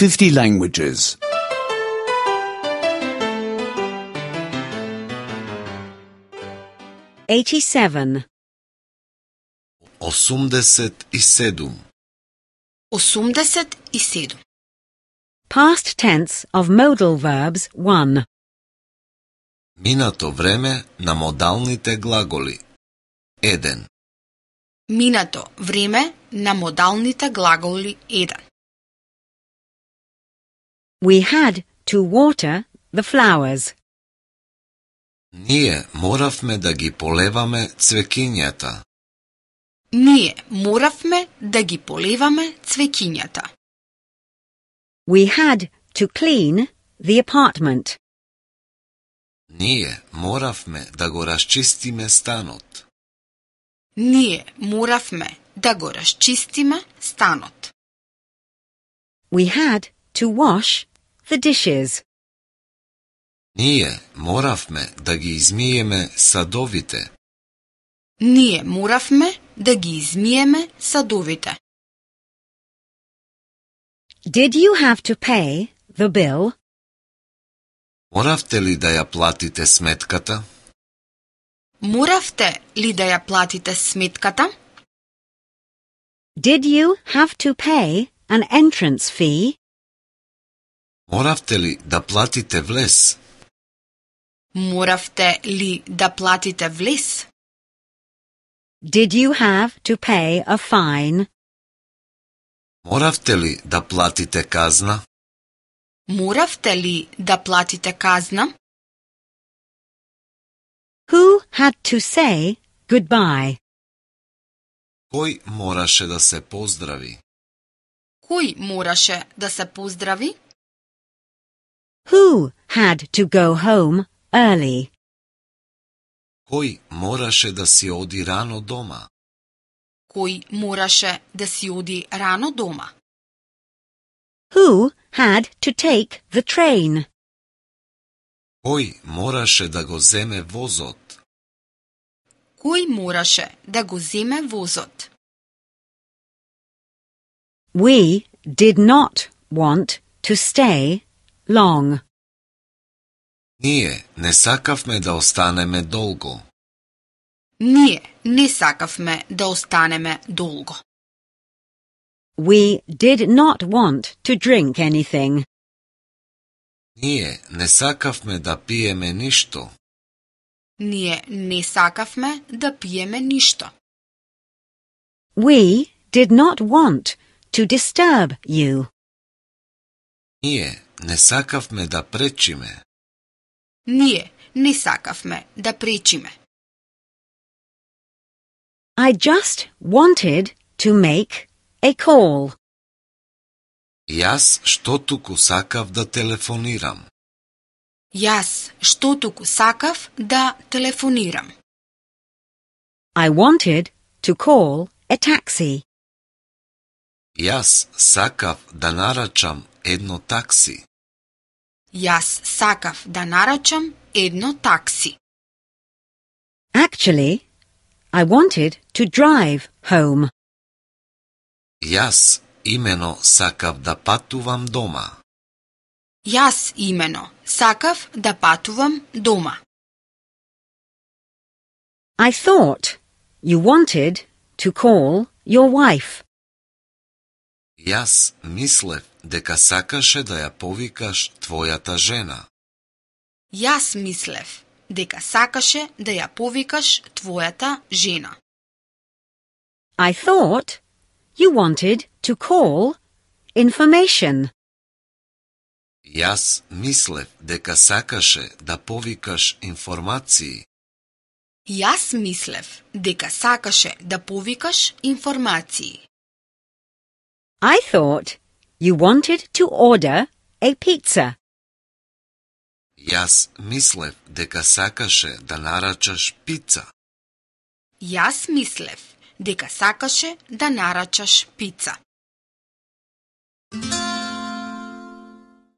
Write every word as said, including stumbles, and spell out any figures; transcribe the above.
fifty languages. eighty-seven. осумдесет и седум. осумдесет и седум. Past tense of modal verbs one. Минато време на модалните глаголи. еден. Минато време на модалните глаголи еден. We had to water the flowers. Ние моравме да ги полеваме цвекињата. Ние моравме да ги полеваме цвекињата. We had to clean the apartment. Ние моравме да го расчистиме станот. Ние моравме да го расчистиме станот. We had to wash the dishes. Ние моравме да ги измиеме садовите. Ние моравме да ги измиеме садовите. Did you have to pay the bill? Моравте ли да ја платите сметката? Моравте ли да ја платите сметката? Did you have to pay an entrance fee? Моравте ли да платите влез? Моравте ли да платите влез? Did you have to pay a fine? Моравте ли да платите казна? Моравте ли да платите казна? Who had to say goodbye? Кој мораше да се поздрави? Кој мораше да се поздрави? Who had to go home early? Кој мораше да си оди рано дома? Кој мораше да си оди рано дома? Who had to take the train? Кој мораше да го земе возот? Кој мораше да го земе возот? We did not want to stay long. Ние не сакавме да останеме долго. Ние не сакавме да останеме долго. We did not want to drink anything. Ние не сакавме да пиеме ништо. Ние не сакавме да пиеме ништо. We did not want to disturb you. Ние не сакавме да пречиме. Ние не сакавме да пречиме. I just wanted to make a call. Јас што туку сакав да телефонирам. Јас што туку сакав да телефонирам. I wanted to call a taxi. Јас сакав да нарачам едно такси. Јас сакав да нарачам едно такси. Actually, I wanted to drive home. Јас имено сакав да патувам дома. Јас имено сакав да патувам дома. I thought you wanted to call your wife. Јас мислев дека сакаше да ја повикаш твојата жена. Јас мислев дека сакаше да ја повикаш твојата жена. I thought you wanted to call information. Јас мислев дека сакаше да повикаш информации. Јас мислев дека сакаше да повикаш информации. I thought you wanted to order a pizza. Јас мислев дека сакаше да нарачаш пица. Јас мислев дека сакаше да нарачаш пица.